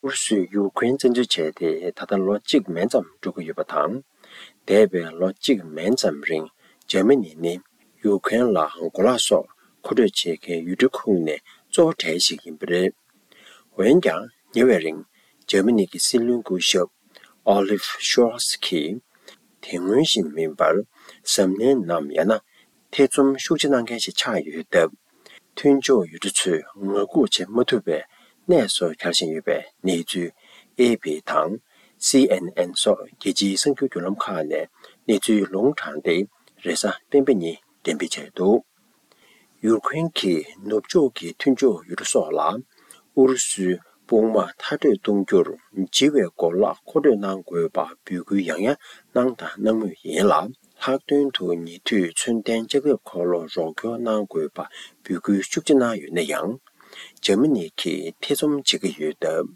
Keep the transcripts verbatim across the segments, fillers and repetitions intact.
ཨུ་རུ་སུས་ཡུ་ཁུ་རེན་བཙན་འཛུལ་བྱས་ཏེ་ད་ལྟ་ལོ་གཅིག་མན་ཙམ་འགྲོ་གི་ཡོད་པ་དང་། འདས་པའི་ལོ་གཅིག་མན་ཙམ་རིང་འཇར་མ་ནི་ནི་ཡུ་ཁུ་རེན་ལ་གོ་ལག་སོགས་མཁོ་སྤྲོད་བྱེད་མཁན་ཡུལ་གྲུ་ཁུངས་ནས་གཙོ་བོ་གྲས་ཤིག་ཡིན་པ་རེད། འོན་ཀྱང་ཉེ་བའི་རིང་འཇར་མ་ནི་གི་སྲིད་བློན་སྐུ་ཞབས་ཨོ་ལིབ་ཤོལ་ཚ་གིས་དེ་སྔོན་བཞིན་མིན་པར་གཟབ་ནན་ནམ་ཡང་ན་ཐེ་ཚོམ་ཤུགས་ཆེ་གནང་མཁན་ཞིག་ཆགས་ཡོད་སྟབས། མཐུན་ཕྱོགས་ཡུལ་གྲུ་ཚོས་ངང་སྒུག་བྱེད་མ་ཐུབ་པའི་གནས་སུ་གྱར་བཞིན་ཡོད་པའི་གནས་ཚུལ་ཨེ་ཕི་དང་སི་ཨེན་ཨེན་སོགས་རྒྱལ་སྤྱིའི་གསར་འགྱུར་བརྒྱུད་ལམ་ཁག་ནས་གནས་ཚུལ་ལུང་དྲངས་ཏེ་རེས་གཟའ་སྤེན་པ་ཉིན་འགྲེམས་སྤེལ་བྱས་འདུག་ཡུ་ཁུ་རེན་གྱིས་ནུབ་ཕྱོགས་ཀྱི་མཐུན་ཕྱོགས་ཡུལ་གྲུ་སོགས་ལ་ཨུ་རུ་སུའི་དཔུང་དམག་མཐར་སྐྲོད་གཏོང་རྒྱུར་ལྕི་བའི་གོ་ལག་མཁོ་སྤྲོད་གནང་དགོས་པ་འབོད་སྐུལ་ཡང་ཡང་གནང་དང་གནང་མུས་ཡིན་ལ། ལྷག་དོན་དུ་ཉེ་དུས་མཚོན་ལྡན་ལྕགས་ཁྲབ་འཁོར་ལོ་རོགས་སྐྱོར་གནང་དགོས་པ་འབོད་སྐུལ་ཤུགས་ཆེ་གནང་ཡོད་ན་ཡང་། འཇར་མ་ནི་གིས་ཐེ་ཚོམ་བྱེད་ཀྱི་ཡོད་སྟབས།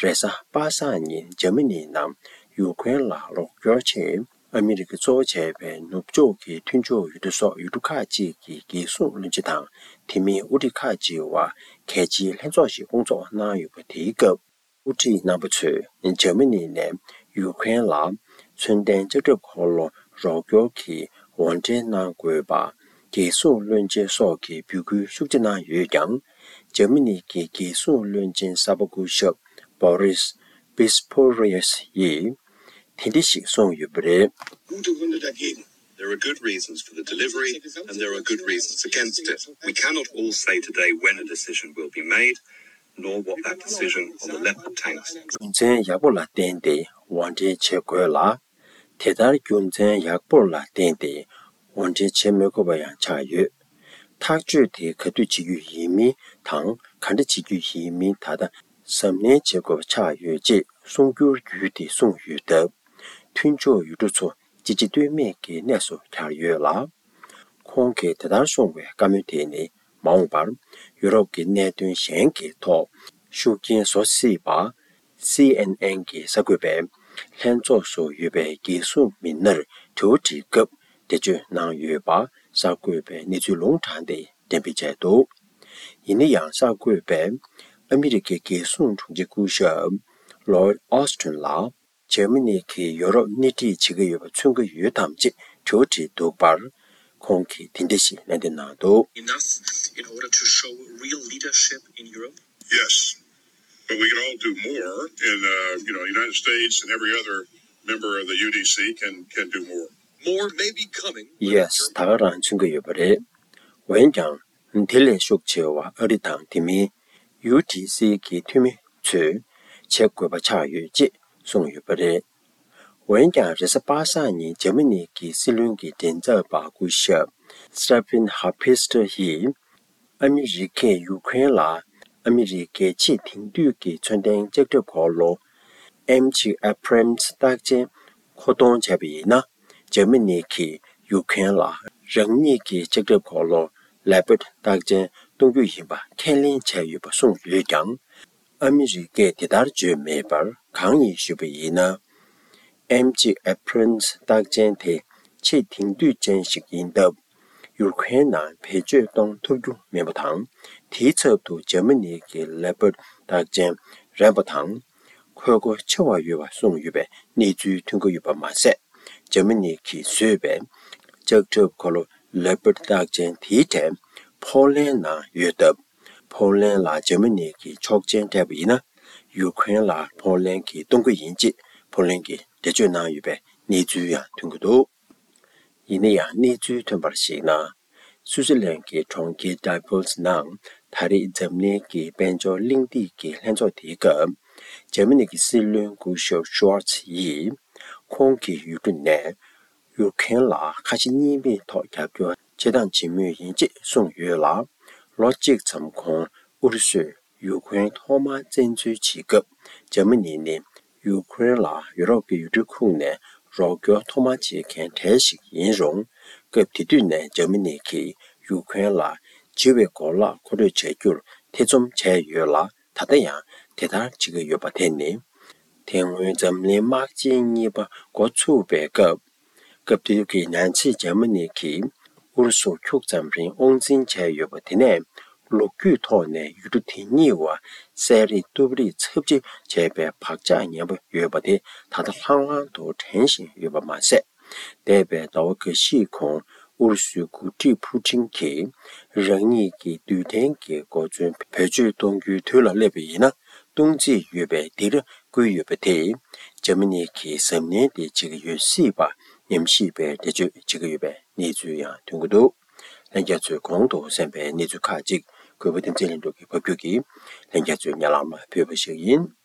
རེས་གཟའ་པ་སངས་ཉིན་འཇར་མ་ནི་ནང་ཡུ་ཁུ་རེན་ལ་རོགས་སྐྱོར་ཆེད་ཨ་མི་རི་ཀ་གཙོ་བོ་བྱས་པའི་ནུབ་ཕྱོགས་ཀྱི་མཐུན་ཕྱོགས་ཡུལ་གྲུ་སོགས་ཡུལ་གྲུ་ཁག་ཅིག་གི་རྒྱལ་སྲུང་བློན་ཆེན་དང་དེ་མིན་དབུ་ཁྲིད་ཁག་ཅིག་དབར་གལ་ཆེའི་ལྷན་ཚོགས་ཤིག་སྐོང་ཚོགས་གནང་ཡོད་པ། དེའི་སྐབས་དབུ་ཁྲིད་རྣམ་པ་ཚོས་འཇར་མ་ནི་ནས་ཡུ་ཁུ་རེན་ལ་མཚོན་ལྡན་ལྕགས་ཁྲབ་འཁོར་ལོ་རོགས་སྐྱོར་གྱི་འོར་འདྲེན་གནང་དགོས་པ་རྒྱལ་སྲུང་བློན་ཆེན་སོགས་ཀྱིས་འབོད་སྐུལ་ཤུགས་ཆེ་གནང་ཡོད་ཀྱང་། འཇར་མ་ནི་གི་རྒྱལ་སྲུང་བློན་ཆེན་གསར་པ་སྐུ་ཞབས་Boris Pistorius ཡིས་དེ་འདྲ་ཞིག་གསུངས་ཡོད་པ་རེད། Gute Gründe dagegen. There are good reasons for the delivery and there are good reasons against it. We cannot all say today when a decision will be made, nor what that decision on the Leopard tanks. རྒྱུ་མཚན་ཡག་པོ་ལ་བརྟེན་ཏེ་འོར་འདྲེན་བྱེད་དགོས་ལ། དེ་ལྟར་རྒྱུ་མཚན་ཡག་པོ་ལ་བརྟེན་ཏེ་འོར་འདྲེན་བྱེད་མི་དགོས་པ་ཡང་ཆགས་ཡོད། ཐག་གཅོད་དེ་ག་དུས་བྱེད་རྒྱུ་ཡིན་མིན་དང་ག་འདྲ་བྱེད་རྒྱུ་ཡིན་མིན་ད་ལྟ་གཟབ་ནན་བྱེད་དགོས་པ་ཆགས་ཡོད་ཅེས་གསུང་སྒྱུར་བརྒྱུད་དེ་གསུངས་ཡོད་སྟབས། མཐུན་ཕྱོགས་ཡུལ་གྲུ་ཚོ་ཅི་བྱེད་གཏོལ་མེད་ཀྱི་གནས་སུ་གྱར་ཡོད་ལ། ཁོང་གིས་དེ་ལྟར་གསུངས་པའི་བཀའ་མོལ་དེ་ནི་མ་འོངས་པར་ཡུ་རོབ་ཀྱི་གནད་དོན་གཞན་གྱི་ཐོག་ཤུགས་རྐྱེན་བཟོ་སྲིད་པ། སི་ཨེན་ཨེན་གྱི་གསར་འགོད་པས་ལྷན་ཚོགས་སུ་ཡོད་པའི་རྒྱལ་སྲུང་མི་སྣར་དྲི་བ་དྲིས་སྐབས་འགྲེལ་བརྗོད་གནང་ཡོད་པ་གསར་འགོད་པས་གནས་ཚུལ་ལུང་དྲངས་ཏེ་འགྲེམས་སྤེལ་བྱས་འདུག་ཡིན་ན་ཡང་གསར་འགོད་པས་ཨ་མི་རི་ཀའི་རྒྱལ་སྲུང་དྲུང་ཆེ་སྐུ་ཞབས་Lloyd Austin ལ། འཇར་མ་ནི་གིས་ཡོ་རོབ་སྣེ་ཁྲིད་བྱེད་ཀྱི་ཡོད་པ་མཚོན་གྱི་ཡོད་དམ་ཅེས་དྲི་བ་དྲིས་འདུག་པར། ཁོང་གིས་དེ་འདྲ་ཞིག་ལན་འདེབས་གནང་འདུག Enough in order to show real leadership in Europe? Yes, but we can all do more, and uh, you know, United States and every other member of the U D C can can do more. More may be coming. Yes, ད་ག་རང་མཚོན་གྱི་ཡོད་པ་རེད། འོན་ཀྱང་། དེ་ལས་ཤུགས་ཆེ་བ་ཨ་རི་དང་དེ་མིན་ཡུ་ཌི་སི་གི་འཐུས་མི་ཚོས་བྱེད་དགོས་པ་ཆགས་ཡོད་ཅེས་གསུངས་ཡོད་པ་རེད། འོན་ཀྱང་རེས་གཟའ་པ་སངས་ཉིན་འཇར་མ་ནི་གི་སྲིད་བློན་གྱི་མགྲིན་ཚབ་པ་སྐུ་ཞབས་Steffen Hebestreit ཡིས་ཨ་མི་རི་ཀས་ཡུ་ཁུ་རེན་ལ་ཨ་མི་རི་ཀའི་ཆེས་དེང་དུས་ཀྱི་མཚོན་ལྡན་ལྕགས་ཁྲབ་འཁོར་ལོ་ཨེམ་ཇི་Abrams རྟགས་ཅན་མཁོ་གཏོང་བྱས་པ་ཡིན་ན། འཇར་མ་ནི་གིས་ཡུ་ཁུ་རེན་ལ་རང་ཉིད་ཀྱི་ལྕགས་ཁྲབ་འཁོར་ལོ་Leopard རྟགས་ཅན་གཏོང་རྒྱུ་ཡིན་པ་ཁས་ལེན་བྱས་ཡོད་པ་གསུངས་ཡོད་ཀྱང་། ཨ་མི་རི་ཀས་དེ་ལྟར་བརྗོད་མེད་པར་གང་ཡིན་ཞུས་པ་ཡིན་ན། ཨེམ་ཇི་Abrams རྟགས་ཅན་དེ་ཆེས་དེང་དུས་ཅན་ཞིག་ཡིན་སྟབས། ཡུ་ཁུ་རེན་ནང་བེད་སྤྱོད་གཏོང་ཐུབ་རྒྱུ་མིན་པ་དང་། དེའི་ཚབ་ཏུ་འཇར་མ་ནི་གི་Leopard རྟགས་ཅན་རན་པ་དང་། མཁོ་དགོས་ཆེ་བ་ཡོད་པ་གསུངས་ཡོད་པའི་གནས་ཚུལ་ཐོན་གྱི་ཡོད་པ་མ་ཟད། འཇར་མ་ནི་གིས་བཟོས་པའི་ལྕགས་ཁྲབ་འཁོར་ལོ་Leopard རྟགས་ཅན་དེའི་གྲས་ཕོ་ལན་ནང་ཡོད་སྟབས། ཕོ་ལན་ལ་འཇར་མ་ནི་གིས་ཆོག་མཆན་སྤྲད་པ་ཡིན་ན། ཡུ་ཁུ་རེན་ལ་ཕོ་ལན་གྱིས་གཏོང་གི་ཡིན་ཅེས་ཕོ་ལན་གྱིས་འགྲེལ་བརྗོད་གནང་ཡོད་པའི་གནས་ཚུལ་ཡང་ཐོན་གྱི་འདུག་ཡིན་ན་ཡང་གནས་ཚུལ་ཐོན་པར་གཞིགས་ན། སུའུ་ཙི་ལན་གྱི་གྲོང་ཁྱེར་Davos ནང་ད་རེས་འཛམ་གླིང་གི་དཔལ་འབྱོར་གླེང་སྟེགས་ཀྱི་ལྷན་ཚོགས་དེའི་སྐབས། འཇར་མ་ནི་གི་སྲིད་བློན་སྐུ་ཞབས་Scholz ཡིས་ཁོང་གི་ཡུལ་གྲུ་ནས་ཡུ་ཁུ་རེན་ལ་ཁ་ཞེ་གཉིས་མེད་ཐོག་རྒྱབ་སྐྱོར་བྱེད་སྟངས་བྱེད་མུས་ཡིན་ཅེས་གསུངས་ཡོད་ལ། ལོ་གཅིག་ཙམ་གོང་ཨུ་རུ་སུས་ཡུ་ཁུ་རེན་ཐོག་མར་བཙན་འཛུལ་བྱེད་སྐབས་འཇར་མ་ནི་ནི་ཡུ་ཁུ་རེན་ལ་ཡུ་རོབ་ཀྱི་ཡུལ་གྲུ་ཁུངས་ནས་རོགས་སྐྱོར་ཐོག་མ་བྱེད་མཁན་གྲས་ཤིག་ཡིན་རུང་། སྐབས་དེ་དུས་ནས་འཇར་མ་ནི་གིས་ཡུ་ཁུ་རེན་ལ་ལྕི་བའི་གོ་ལག་མཁོ་སྤྲོད་བྱ་རྒྱུར་ཐེ་ཚོམ་བྱས་ཡོད་ལ། ད་ལྟ་ཡང་དེ་ལྟར་བྱེད་ཀྱི་ཡོད་པ་དེ་ནི། དེ་སྔོན་འཛམ་གླིང་དམག་ཆེན་གཉིས་པ་འགོ་ཚུགས་པའི་སྐབས། སྐབས་དེ་དུས་ཀྱི་ནང་ཚིག་འཇར་མ་ནི་གིས་ཨུ་རུ་སུ་ཁྱུག་ཙམ་རིང་དབང་འཛིན་བྱས་ཡོད་པ་དེ་ནས་ ལོ་རྒྱུས་ཐོག་ནས་ཡུལ་གྲུ་དེ་གཉིས་བར་གསན་རེས་གཏུབ་རེས་ཚབས་ཆེ་བྱས་པའི་བག་ཆགས་ངན་པ་ཡོད་པ་དེ་ད་ལྟ་ལྷང་ལྷང་དུ་དྲན་བཞིན་ཡོད་པ་མ་ཟད། འདས་པའི་ཟླ་བ་འགའ་ཤས་གོང་ཨུ་རུ་སུའི་འགོ་ཁྲིད་ཕུ་ཀྲིན་གྱིས་རང་ཉིད་ཀྱི་རྡུལ་ཕྲན་གྱི་གོ་མཚོན་བེད་སྤྱོད་གཏོང་རྒྱུའི་དུས་ལ་སླེབས་པ་ཡིན་ན་གཏོང་རྩིས་ཡོད་པས་འདིར་བསྐུལ་ཡོད་པ་དེས་འཇར་མ་ནི་གིས་གཟབ་ནན་དེ་བྱེད་ཀྱི་ཡོད་སྲིད་པ་ཉམས་ཞིབ་པས་འགྲེལ་བརྗོད་བྱེད་ཀྱི་ཡོད་པའི་གནས་ཚུལ་ཡང་ཐོན་གྱི་འདུག་ལྷན་རྒྱས་ཚོས་གོང་དུ་གསན་པའི་གནས་ཚུལ་ཁག་ཅིག་གུས་པ་བསྟན་འཛིན་ལྷུན་གྲུབ་ཀྱིས་ཕབ་སྒྱུར་གྱིས་ལྷན་རྒྱས་ཚོའི་སྙན་ལམ་ལ་ཕུལ་བ་ཞིག་ཡིན།